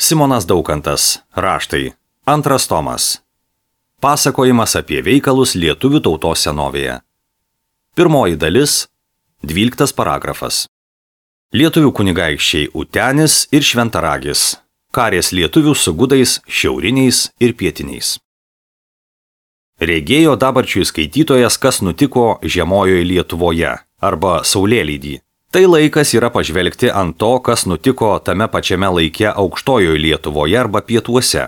Simonas Daukantas. Raštai. Antras tomas. Pasakojimas apie veikalus lietuvių tautos senovėje. Pirmoji dalis. 12 paragrafas. Lietuvių kunigaikščiai Utenis ir Šventaragis. Karės lietuvių su gudais šiauriniais ir pietiniais. Regėjo dabarčiui skaitytojas, kas nutiko žemojoje Lietuvoje arba Saulėlydį. Tai laikas yra pažvelgti ant to, kas nutiko tame pačiame laike aukštojoje Lietuvoje arba pietuose.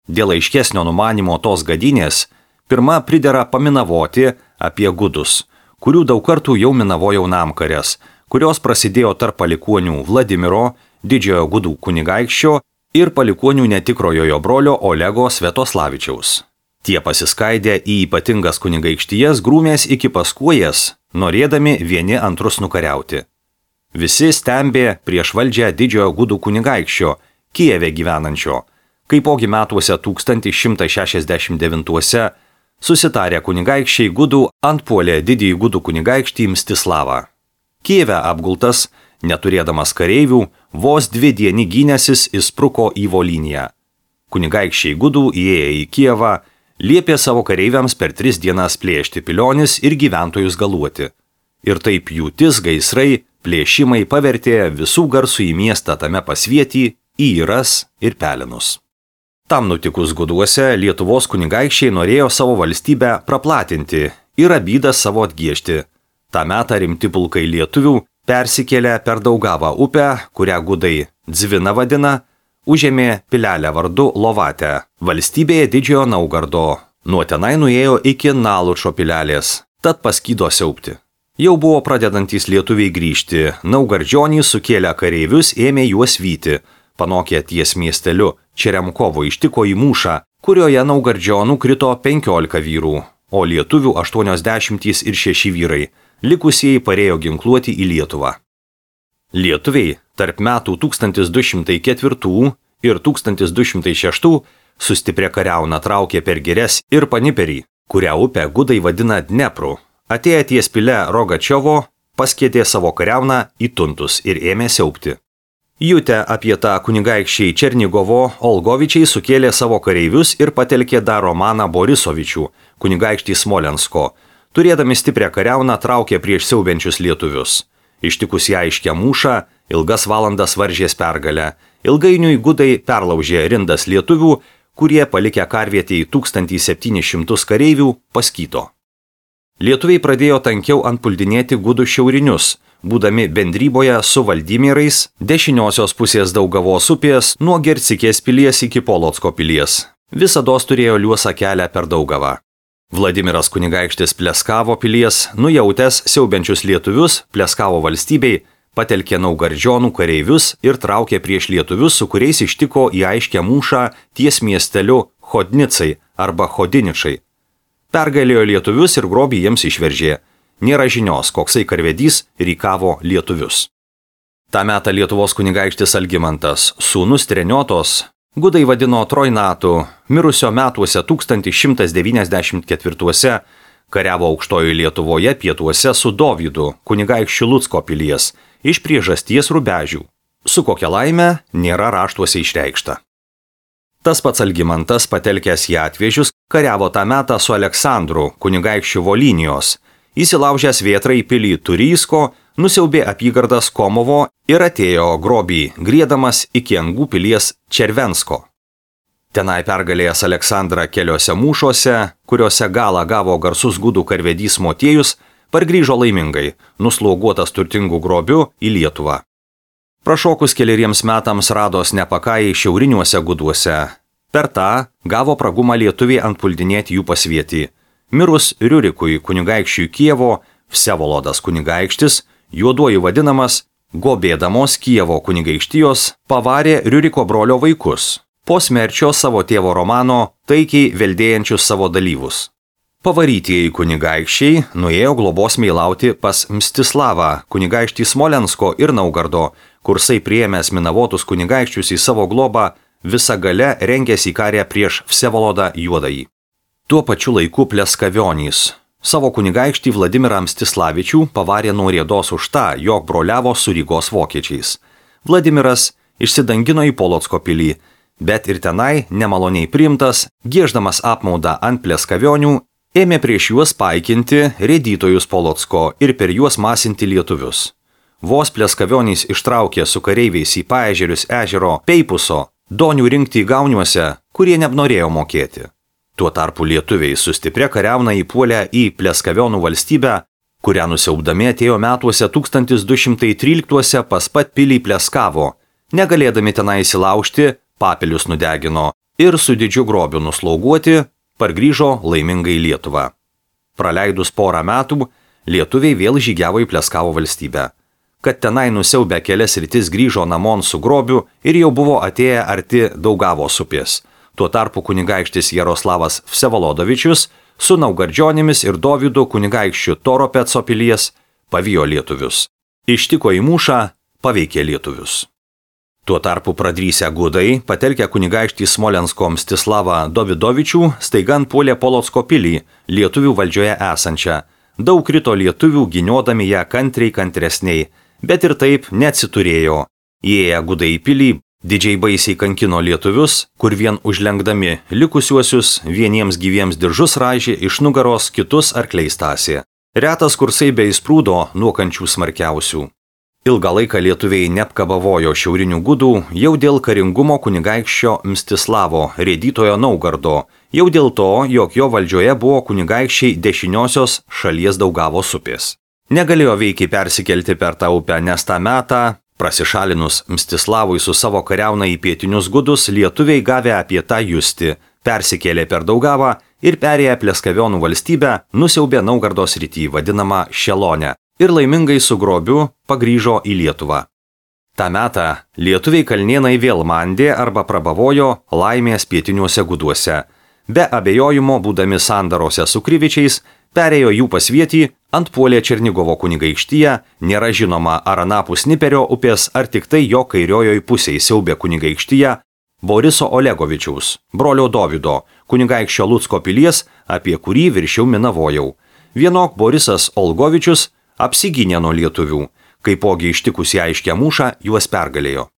Dėl aiškesnio numanimo tos gadynės, pirma pridera paminavoti apie gudus, kurių daug kartų jau minavo jaunamkarės, kurios prasidėjo tarp palikuonių Vladimiro, didžiojo gudų kunigaikščio ir palikuonių netikrojo jo brolio Olego Svetoslavičiaus. Tie pasiskaidę į ypatingas kunigaikštijas grūmės iki Paskuojas, norėdami vieni antrus nukariauti. Visi stembė prieš valdžią didžiojo gudų kunigaikščio, Kijeve gyvenančio, kaipogi metuose 1169 susitarę kunigaikščiai gudų antpuolė didįjį gudų kunigaikštį Mstislavą. Kijeve apgultas, neturėdamas kareivių, vos 2 dienį gynęsis įspruko į Volyniją. Kunigaikščiai gudų įėję į Kijevą, liepė savo kareiviams per 3 dienas plėšti pilionis ir gyventojus galuoti. Ir taip pjūtis, gaisrai, plėšimai pavertė visų garsų į miestą tame pasvietį, į Iras ir Pelenus. Tam nutikus guduose Lietuvos kunigaikščiai norėjo savo valstybę praplatinti ir abydą savo atgiešti. Ta metą rimti pulkai lietuvių persikėlė per Daugavą upę, kurią gudai Dzvina vadina, užėmė pilelę vardu Lovatę, valstybėje Didžiojo Naugardo. Nuo tenai nuėjo iki Nalučo pilelės, tad paskydo siaubti. Jau buvo pradedantys lietuviai grįžti, naugardžionys sukėlę kareivius ėmė juos vyti, panokę ties miesteliu Čeremkovo ištiko į mūšą, kurioje naugardžionų krito 15 vyrų, o lietuvių 80 ir 6 vyrai, likusieji parėjo ginkluoti į Lietuvą. Lietuviai tarp metų 1204 ir 1206 sustiprę kariauną traukė per Girias ir Paniperį, kurią upę gudai vadina Dnepru. Atėję ties pile Rogačiovo, paskėtė savo kariauną į tuntus ir ėmė siaubti. Jutę apie tą kunigaikščiai Černigovo, Olgovičiai sukėlė savo kareivius ir patelkė dar Romaną Borisovičių, kunigaikštį Smolensko. Turėdami stiprią kariauną traukė prieš siaubiančius lietuvius. Ištikus ją aiškę mūšą, ilgas valandas varžės pergalę. Ilgainiui gudai perlaužė rindas lietuvių, kurie palikę karvietį 1700 kareivių paskyto. Lietuviai pradėjo tankiau antpuldinėti gudų šiaurinius, būdami bendryboje su Valdimirais dešiniosios pusės Daugavos upės nuo Gercikės pilies iki Polocko pilies. Visados turėjo liuosą kelią per Daugavą. Vladimiras kunigaikštis Pleskavo pilies, nujautęs siaubiančius lietuvius Pleskavo valstybei, patelkė naugardžionų kareivius ir traukė prieš lietuvius, su kuriais ištiko į aiškę mūšą ties miesteliu Chodnicai arba Chodiničai. Pergalėjo lietuvius ir grobį jiems išveržė. Nėra žinios, koksai karvedys rykavo lietuvius. Ta metą Lietuvos kunigaikštis Algimantas, sūnus Treniotos, gudai vadino Trojnatu, mirusio metuose 1194 kariavo aukštojoje Lietuvoje pietuose su Dovydu, kunigaikščiu Lucko pilies, iš priežasties Rubežių. Su kokia laime nėra raštuose išreikšta. Tas pats Algimantas, patelkęs į atvežius, kariavo tą metą su Aleksandru, kunigaikščiu Volynijos. Įsilaužęs vėtrą į pilį Turysko, nusiaubė apygardas Komovo ir atėjo grobį, griedamas iki Angų pilies Červensko. Tenai pergalėjęs Aleksandrą keliose mūšuose, kuriuose galą gavo garsus gudų karvedys Motiejus, pargrįžo laimingai, nusloguotas turtingų grobių į Lietuvą. Prašokus keleriems metams rados nepakajai šiauriniuose guduose. Per tą gavo pragumą lietuviai antpuldinėti jų pasvietį. Mirus Riurikui kunigaikščiui Kijevo, Vsevolodas kunigaikštis, juoduoju vadinamas, gobėdamos Kijevo kunigaikštijos, pavarė Riuriko brolio vaikus. Po smerčio savo tėvo Romano taikiai veldėjančius savo dalyvus. Pavarytieji kunigaikščiai nuėjo globos meilauti pas Mstislavą, kunigaikštį Smolensko ir Naugardo, kursai priėmęs minavotus kunigaikščius į savo globą, visa gale rengėsi į karę prieš Vsevolodą Juodąjį. Tuo pačiu laiku Pleskavionys savo kunigaikštį Vladimirą Mstislavičių pavarė nuo riedos už tą, jog broliavo su Rygos vokiečiais. Vladimiras išsidangino į Polocko pilį, bet ir tenai, nemaloniai priimtas, gieždamas apmaudą ant pleskavionių, ėmė prieš juos paikinti rėdytojus Polocko ir per juos masinti lietuvius. Vos pleskavionys ištraukė su kareiviais į Paežerius ežero Peipuso, donių rinkti įgauniuose, kurie nenorėjo mokėti. Tuo tarpu lietuviai su stipria kariauna įpuolė į Pleskavionų valstybę, kurią nusiaubdami atėjo metuose 1213 pas pat pilį Pleskavo, negalėdami tenai įsilaužti, papilius nudegino ir su didžiu grobiu nuslauguoti, pargrįžo laimingai į Lietuvą. Praleidus porą metų, lietuviai vėl žygiavo į Pleskavo valstybę. Kad tenai nusiaubę kelias rytis grįžo namon su grobiu ir jau buvo atėję arti Daugavos upės. Tuo tarpu kunigaikštis Jaroslavas Vsevolodovičius su Naugardžionimis ir Dovydu kunigaikščiu Toropetso pilies pavijo lietuvius. Ištiko į mūšą, paveikė lietuvius. Tuo tarpu pradrysę gudai, patelkę kunigaikštį Smolensko Mstislavą Dovidovičių, staiga puolė Polocko pilį, lietuvių valdžioje esančią. Daug krito lietuvių, giniodami ją kantresniai, bet ir taip neatsiturėjo. Įėję gudai į pilį, didžiai baisiai kankino lietuvius, kur vien užlenkdami likusiuosius vieniems gyviems diržus raižė iš nugaros, kitus arkliais tąsė. Retas kursai be įsprūdo nuo kančių smarkiausių. Ilgą laiką lietuviai neapkabavojo šiaurinių gudų jau dėl karingumo kunigaikščio Mstislavo, rėdytojo Naugardo, jau dėl to, jog jo valdžioje buvo kunigaikščiai dešiniosios šalies Daugavos upės. Negalėjo veikiai persikelti per tą upę, nes tą metą, prasišalinus Mstislavui su savo kariauna į pietinius gudus, lietuviai gavę apie tą justi, persikėlė per Daugavą ir perėję Pleskavionų valstybę, nusiaubė Naugardo srity, vadinamą Šelonę, ir laimingai su grobiu pagrįžo į Lietuvą. Ta metą lietuviai kalnėnai vėl mandė arba prabavojo laimės pietiniuose guduose. Be abejojimo, būdami sandarose su Krivičiais, perėjo jų pasvietį, antpuolė Černigovo kunigaikštyje, nėra žinoma ar anapus Niperio upės, ar tik tai jo kairiojoj pusėj siaubė kunigaikštyje Boriso Olegovičiaus, brolio Dovydo, kunigaikščio Lucko pilies, apie kurį viršiau minavojau. Vienok Borisas Olgovičius apsigynė nuo lietuvių, kaipogi ištikus į aiškę mūšą juos pergalėjo.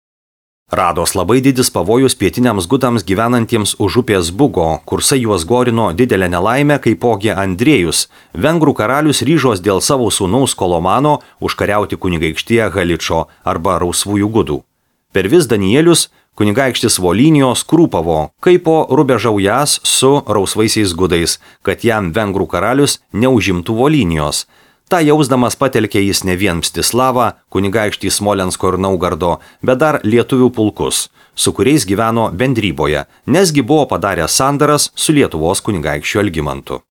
Rados labai didis pavojus pietiniams gudams gyvenantiems už upės Bugo, kursai juos gorino didelę nelaimę, kaipogi Andriejus, vengrų karalius ryžos dėl savo sūnaus Kolomano užkariauti kunigaikštyje Haličo arba Rausvųjų gudų. Per vis Danielius kunigaikštis Volinijos krūpavo, kaipo rubežaujas su Rausvaisiais gudais, kad jam vengrų karalius neužimtų Volinijos. Ta jausdamas patelkė jis ne vien Mstislavą, kunigaikštį Smolensko ir Naugardo, bet dar lietuvių pulkus, su kuriais gyveno bendryboje, nesgi buvo padaręs sandaras su Lietuvos kunigaikščiu Algimantu.